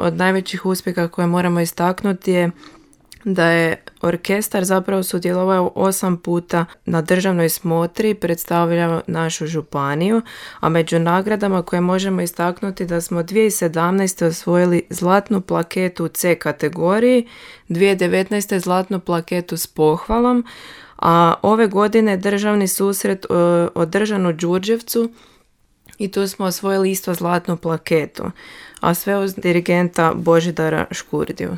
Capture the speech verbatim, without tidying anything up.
od najvećih uspjeha koje moramo istaknuti je da je orkestar zapravo sudjelovao osam puta na državnoj smotri, predstavljao našu županiju, a među nagradama koje možemo istaknuti da smo dvije tisuće sedamnaeste. osvojili zlatnu plaketu u C kategoriji, dvije tisuće devetnaeste. zlatnu plaketu s pohvalom, a ove godine državni susret održan u Đurđevcu i tu smo osvojili isto zlatnu plaketu, a sve uz dirigenta Božidara Škurdiju.